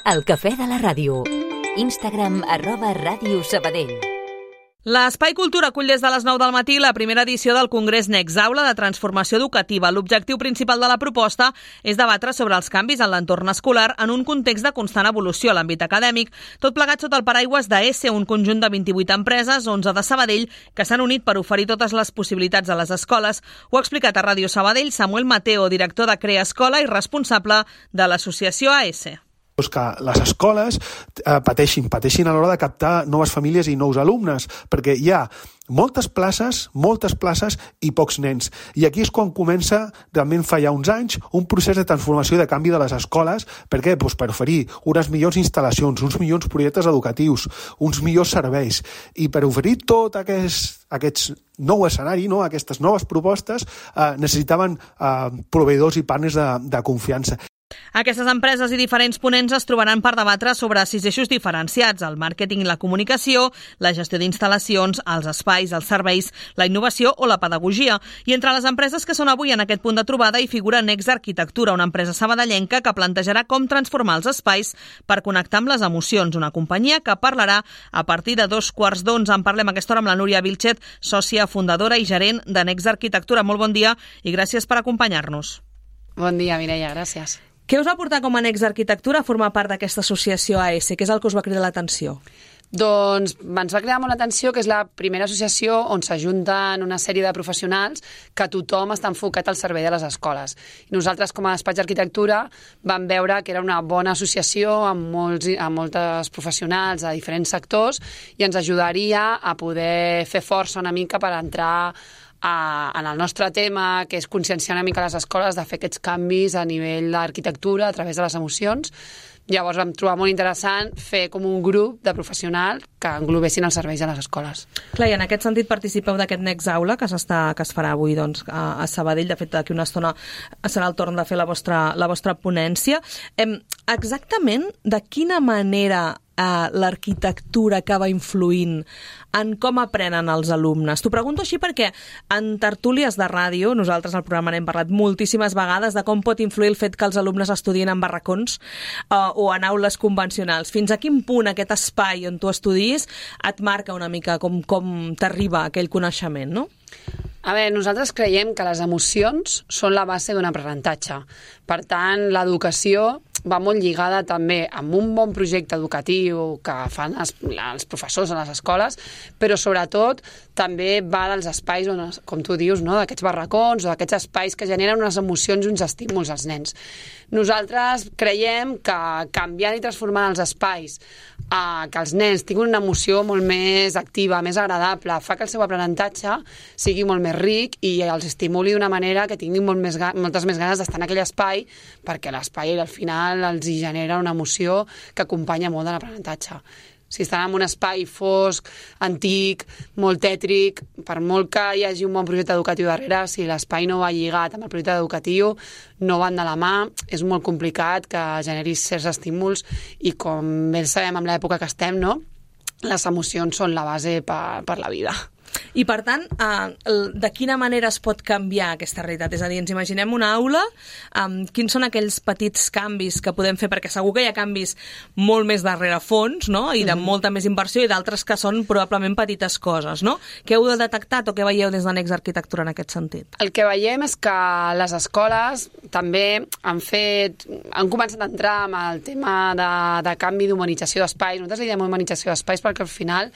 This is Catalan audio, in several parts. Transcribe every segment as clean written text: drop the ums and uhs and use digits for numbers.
El cafè de la ràdio. Instagram @Ràdio Sabadell. L'Espai Cultura acull des de les 9 del matí la primera edició del Congrés Next Aula de Transformació Educativa. L'objectiu principal de la proposta és debatre sobre els canvis en l'entorn escolar en un context de constant evolució a l'àmbit acadèmic, tot plegat sota el paraigües d'ESE, un conjunt de 28 empreses, 11 de Sabadell, que s'han unit per oferir totes les possibilitats a les escoles. Ho ha explicat a Ràdio Sabadell Samuel Mateo, director de Crea Escola i responsable de l'associació AESE. Que les escoles pateixin a l'hora de captar noves famílies i nous alumnes, perquè hi ha moltes places i pocs nens. I aquí és quan comença, realment fa ja uns anys, un procés de transformació i de canvi de les escoles. Per què? Per oferir unes millors instal·lacions, uns millors projectes educatius, uns millors serveis. I per oferir tot aquest nou escenari, aquestes noves propostes, necessitaven proveïdors i partners de confiança. Aquestes empreses i diferents ponents es trobaran per debatre sobre 6 eixos diferenciats: el màrqueting i la comunicació, la gestió d'instal·lacions, els espais, els serveis, la innovació o la pedagogia. I entre les empreses que són avui en aquest punt de trobada hi figura Next Arquitectura, una empresa sabadellenca que plantejarà com transformar els espais per connectar amb les emocions. Una companyia que parlarà a partir de 2:15. En parlem a aquesta hora amb la Núria Vilchet, sòcia, fundadora i gerent de Next Arquitectura. Molt bon dia i gràcies per acompanyar-nos. Bon dia, Mireia, gràcies. Què us va portar com a Next Arquitectura a formar part d'aquesta associació AESE? Què és el que us va cridar l'atenció? Doncs ens va cridar molt l'atenció que és la primera associació on s'ajunten una sèrie de professionals que tothom està enfocat al servei de les escoles. I nosaltres, com a despatx d'arquitectura, vam veure que era una bona associació amb moltes professionals de diferents sectors i ens ajudaria a poder fer força una mica per entrar en el nostre tema, que és conscienciar una mica les escoles de fer aquests canvis a nivell d'arquitectura a través de les emocions. Llavors vam trobar molt interessant fer com un grup de professionals que englobessin els serveis a les escoles. Clar, i en aquest sentit participeu d'aquest Next Aula que es farà avui a Sabadell. De fet, d'aquí una estona serà el torn de fer la vostra ponència. Exactament de quina manera l'arquitectura acaba influint en com aprenen els alumnes? T'ho pregunto així perquè en tertúlies de ràdio, nosaltres al programa n'hem parlat moltíssimes vegades de com pot influir el fet que els alumnes estudien en barracons o en aules convencionals. Fins a quin punt aquest espai on tu estudis et marca una mica com t'arriba aquell coneixement, no? A veure, nosaltres creiem que les emocions són la base d'un aprenentatge. Per tant, l'educació va molt lligada també amb un bon projecte educatiu que fan els professors a les escoles, però sobretot també va dels espais on, com tu dius, no? D'aquests barracons o d'aquests espais que generen unes emocions i uns estímuls als nens. Nosaltres creiem que canviant i transformant els espais que els nens tinguin una emoció molt més activa, més agradable, fa que el seu aprenentatge sigui molt més ric i els estimuli d'una manera que tinguin moltes més ganes d'estar en aquell espai, perquè l'espai al final els hi genera una emoció que acompanya molt de l'aprenentatge. Si estan en un espai fosc, antic, molt tètric, per molt que hi hagi un bon projecte educatiu darrere, si l'espai no va lligat amb el projecte educatiu, no van de la mà, és molt complicat que generis certs estímuls i, com bé sabem amb l'època que estem, no? Les emocions són la base per la vida. I, per tant, de quina manera es pot canviar aquesta realitat? És a dir, ens imaginem una aula, quins són aquells petits canvis que podem fer? Perquè segur que hi ha canvis molt més darrere fons, no? I de molta més inversió, i d'altres que són probablement petites coses, no? Què heu detectat o què veieu des de Next Arquitectura en aquest sentit? El que veiem és que les escoles també han començat a entrar amb el tema de canvi d'humanització d'espais. Nosaltres li diem humanització d'espais perquè al final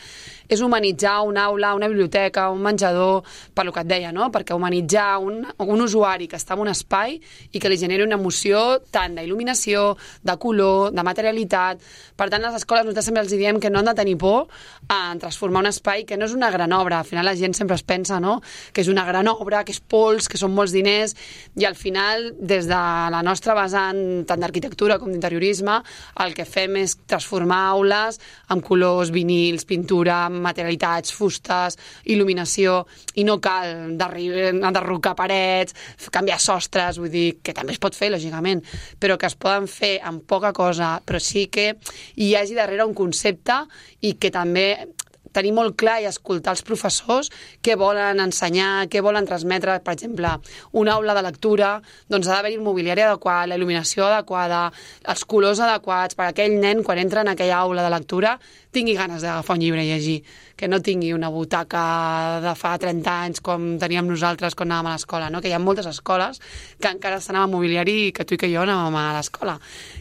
és humanitzar una aula, una biblioteca, un menjador, per lo que et deia, no? Perquè humanitzar un usuari que està en un espai i que li generi una emoció tant d'il·luminació, de color, de materialitat. Per tant, les escoles nosaltres sempre els diem que no han de tenir por en transformar un espai que no és una gran obra. Al final la gent sempre es pensa, no?, que és una gran obra, que és pols, que són molts diners, i al final, des de la nostra vessant, tant d'arquitectura com d'interiorisme, el que fem és transformar aules amb colors, vinils, pintura, materialitats, fustes, il·luminació, i no cal enderrocar parets, canviar sostres, vull dir, que també es pot fer, lògicament, però que es poden fer amb poca cosa, però sí que hi hagi darrere un concepte i que també tenir molt clar i escoltar els professors què volen ensenyar, què volen transmetre. Per exemple, una aula de lectura, doncs ha d'haver-hi el mobiliari adequat, la il·luminació adequada, els colors adequats, per aquell nen, quan entra en aquella aula de lectura, tingui ganes d'agafar un llibre i llegir, que no tingui una butaca de fa 30 anys com teníem nosaltres quan anàvem a l'escola, no? Que hi ha moltes escoles que encara estan amb mobiliari que tu i que jo anàvem a l'escola.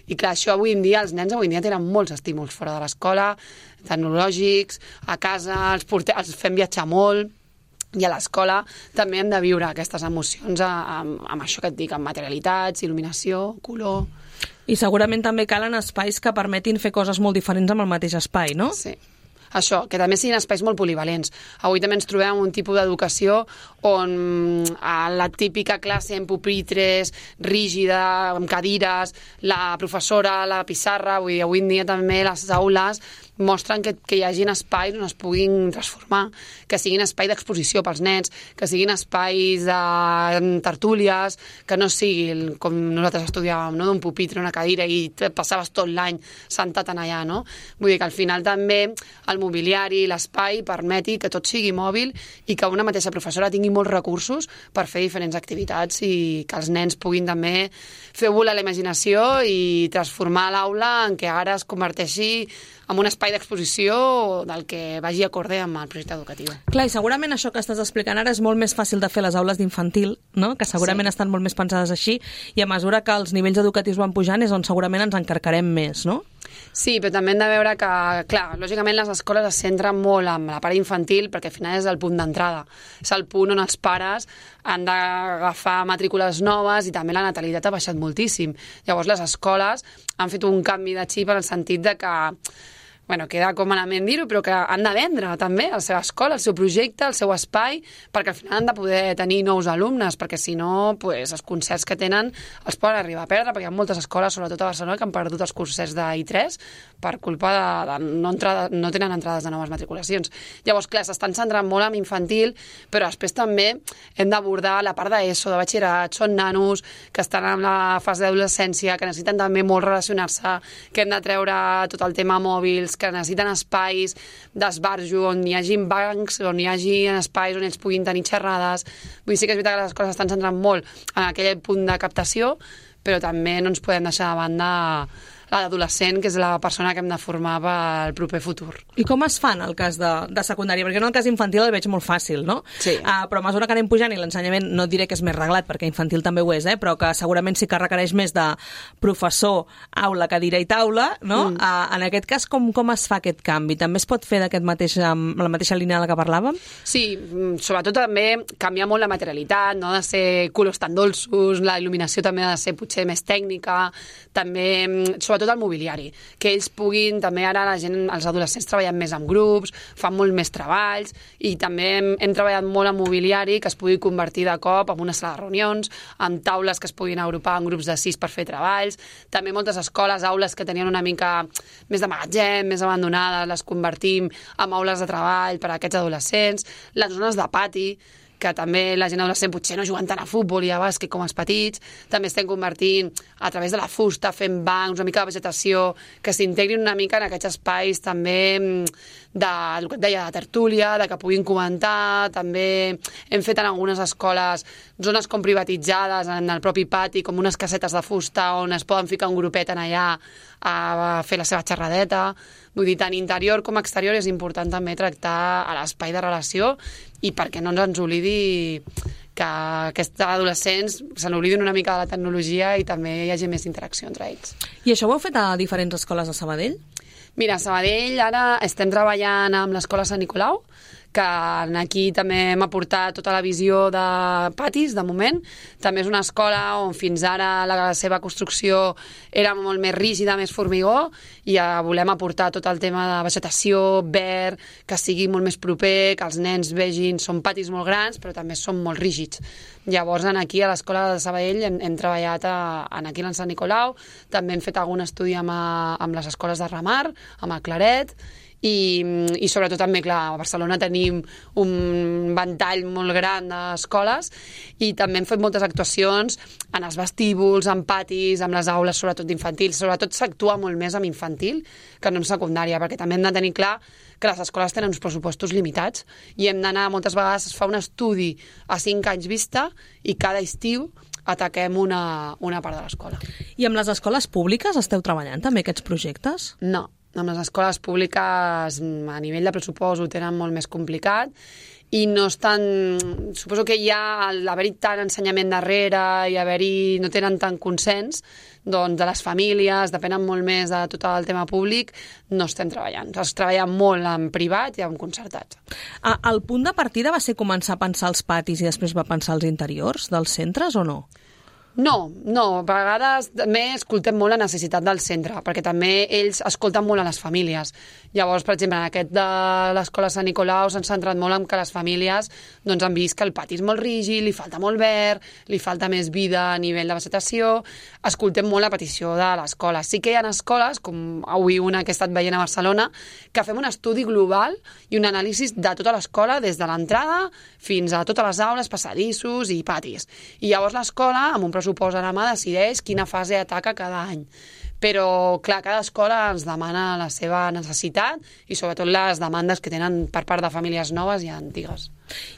I clar, això avui en dia, els nens avui en dia tenen molts estímuls fora de l'escola, tecnològics, a casa, els fem viatjar molt, i a l'escola també hem de viure aquestes emocions amb això que et dic, amb materialitats, il·luminació, color... I segurament també calen espais que permetin fer coses molt diferents amb el mateix espai, no? Sí. Això, que també siguin espais molt polivalents. Avui també ens trobem un tipus d'educació on a la típica classe en pupitres, rígida, amb cadires, la professora, la pissarra, vull dir, avui en dia també les aules mostren que hi hagin espais on es puguin transformar, que siguin espai d'exposició pels nens, que siguin espais de tertúlies, que no sigui com nosaltres estudiàvem, no? D'un pupitre, una cadira i passaves tot l'any sentat en allà, no? Vull dir que al final també el mobiliari, l'espai permeti que tot sigui mòbil i que una mateixa professora tingui molts recursos per fer diferents activitats i que els nens puguin també fer volar la imaginació i transformar l'aula en què ara es converteixi en un espai d'exposició del que vagi acorde amb el projecte educatiu. Clar, i segurament això que estàs explicant ara és molt més fàcil de fer a les aules d'infantil, no? Que segurament estan molt més pensades així, i a mesura que els nivells educatius van pujant és on segurament ens encarcarem més, no? Sí, però també hem de veure que, clar, lògicament les escoles es centren molt en la part infantil perquè al final és el punt d'entrada. És el punt on els pares han d'agafar matrícules noves i també la natalitat ha baixat moltíssim. Llavors les escoles han fet un canvi de xip en el sentit de que queda com malament dir-ho, però que han de vendre també la seva escola, el seu projecte, el seu espai, perquè al final han de poder tenir nous alumnes, perquè si no, els concerts que tenen els poden arribar a perdre, perquè hi ha moltes escoles, sobretot a Barcelona, que han perdut els concerts d'I3 per culpa de no tenen entrades de noves matriculacions. Llavors, clar, s'estan centrant molt en infantil, però després també hem d'abordar la part d'ESO, de batxillerat, són nanos que estan en la fase d'adolescència, que necessiten també molt relacionar-se, que hem de treure tot el tema mòbils, que necessiten espais d'esbarjo on hi hagi bancs, on hi hagi espais on ells puguin tenir xerrades. Vull dir, sí que és veritat que les escoles estan centrant molt en aquell punt de captació, però també no ens podem deixar de banda l'adolescent, que és la persona que hem de formar pel proper futur. I com es fa en el cas de secundària? Perquè en el cas infantil el veig molt fàcil, no? Sí. Però a mesura que anem pujant i l'ensenyament, no diré que és més reglat, perquè infantil també ho és, però que segurament sí que requereix més de professor, aula, cadira i taula, no? En aquest cas, com es fa aquest canvi? També es pot fer la mateixa línia de la que parlàvem? Sí, sobretot també canviar molt la materialitat, no ha de ser colors tan dolços, la il·luminació també ha de ser potser més tècnica, també sobretot el mobiliari, que ells puguin, també ara els adolescents treballen més en grups, fan molt més treballs i també hem treballat molt en mobiliari que es pugui convertir de cop en una sala de reunions, en taules que es puguin agrupar en grups de 6 per fer treballs, també moltes escoles, aules que tenien una mica més de magatzem, més abandonades, les convertim en aules de treball per a aquests adolescents, les zones de pati, que també la gent adolescent potser no juguen tant a futbol i a bàsquet com els petits, també estem convertint a través de la fusta, fent bancs, una mica de vegetació, que s'integrin una mica en aquests espais també el que et deia, de tertúlia, de que puguin comentar, també hem fet en algunes escoles zones com privatitzades en el propi pati, com unes casetes de fusta on es poden ficar un grupet en allà a fer la seva xerradeta. Vull dir, tant interior com exterior és important també tractar a l'espai de relació i perquè no ens oblidi que aquests adolescents se n'oblidin una mica de la tecnologia i també hi hagi més interacció entre ells. I això ho heu fet a diferents escoles de Sabadell? Mira, a Sabadell ara estem treballant amb l'Escola Sant Nicolau, que aquí també hem aportat tota la visió de patis, de moment. També és una escola on fins ara la seva construcció era molt més rígida, més formigó, i volem aportar tot el tema de vegetació, verd, que sigui molt més proper, que els nens vegin, són patis molt grans, però també són molt rígids. Llavors, aquí a l'Escola de Sabadell hem treballat aquí a Sant Nicolau, també hem fet algun estudi amb les escoles de Ramar, amb el Claret, i sobretot també, clar, a Barcelona tenim un ventall molt gran d'escoles i també hem fet moltes actuacions en els vestíbuls, en patis, amb les aules, sobretot d'infantil. Sobretot s'actua molt més amb infantil que no en secundària, perquè també hem de tenir clar que les escoles tenen uns pressupostos limitats i hem d'anar, moltes vegades es fa un estudi a 5 anys vista i cada estiu ataquem una part de l'escola. I amb les escoles públiques esteu treballant també aquests projectes? No, amb les escoles públiques a nivell de pressupost ho tenen molt més complicat i no estan... Suposo que ja l'haver-hi tant ensenyament darrere i no tenen tant consens doncs de les famílies, depenen molt més de tot el tema públic, no estem treballant. Es treballa molt en privat i en concertats. El punt de partida va ser començar a pensar els patis i després va pensar els interiors dels centres o no? No, a vegades també escoltem molt la necessitat del centre, perquè també ells escolten molt a les famílies. Llavors, per exemple, en aquest de l'escola Sant Nicolau s'han centrat molt en que les famílies doncs, han vist que el pati és molt rígid, li falta molt verd, li falta més vida a nivell de vegetació. Escoltem molt la petició de l'escola. Sí que hi ha escoles, com avui una que he estat veient a Barcelona, que fem un estudi global i un anàlisi de tota l'escola, des de l'entrada fins a totes les aules, passadissos i patis. I llavors l'escola, amb un pressupost a la mà, decideix quina fase ataca cada any. Però, clar, cada escola ens demana la seva necessitat i sobretot les demandes que tenen per part de famílies noves i antigues.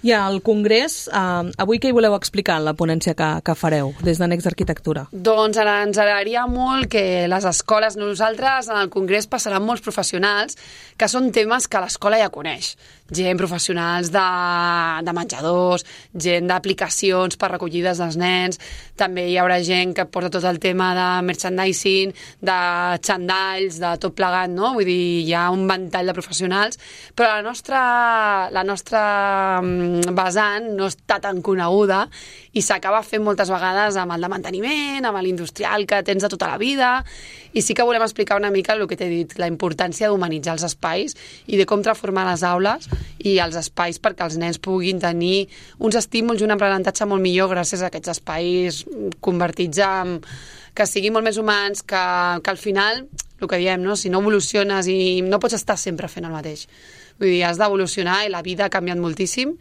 I al Congrés, avui què hi voleu explicar en la ponència que fareu des de Next Arquitectura? Doncs ens agradaria molt que les escoles, nosaltres en el Congrés passaran molts professionals que són temes que l'escola ja coneix. Gent professionals de menjadors, gent d'aplicacions per recollides dels nens, també hi haurà gent que porta tot el tema de merchandising, de xandalls, de tot plegat, no? Vull dir, hi ha un ventall de professionals, però la nostra vessant no està tan coneguda i s'acaba fent moltes vegades amb el de manteniment, amb l'industrial que tens de tota la vida, i sí que volem explicar una mica el que t'he dit, la importància d'humanitzar els espais i de com transformar les aules i els espais perquè els nens puguin tenir uns estímuls i un aprenentatge molt millor gràcies a aquests espais convertits en que siguin molt més humans, que al final, el que diem, no? Si no evoluciones i no pots estar sempre fent el mateix. Vull dir, has d'evolucionar i la vida ha canviat moltíssim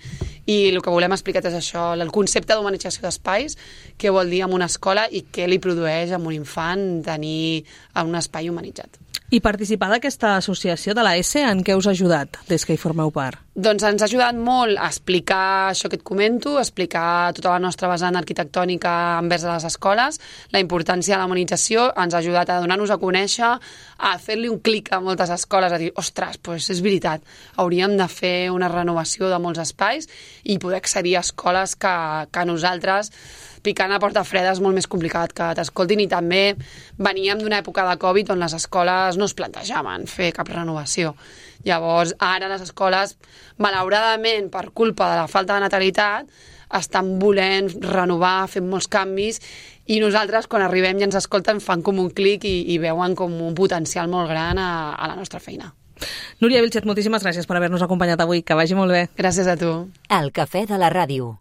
i el que volem explicar és això, el concepte d'humanització d'espais, què vol dir en una escola i què li produeix a un infant tenir un espai humanitzat. I participar d'aquesta associació de la S, en què us ha ajudat des que hi formeu part? Doncs ens ha ajudat molt a explicar això que et comento, a explicar tota la nostra vessant arquitectònica envers les escoles, la importància de la humanització, ens ha ajudat a donar-nos a conèixer, a fer-li un clic a moltes escoles, a dir, ostres, doncs és veritat, hauríem de fer una renovació de molts espais i poder accedir a escoles que nosaltres picant a porta freda és molt més complicat que t'escoltin i també veníem d'una època de Covid on les escoles no es plantejaven fer cap renovació. Llavors, ara les escoles, malauradament, per culpa de la falta de natalitat, estan volent renovar, fent molts canvis i nosaltres, quan arribem i ens escolten, fan com un clic i veuen com un potencial molt gran a la nostra feina. Núria Vilchez, moltíssimes gràcies per haver-nos acompanyat avui. Que vagi molt bé. Gràcies a tu. El Cafè de la Ràdio.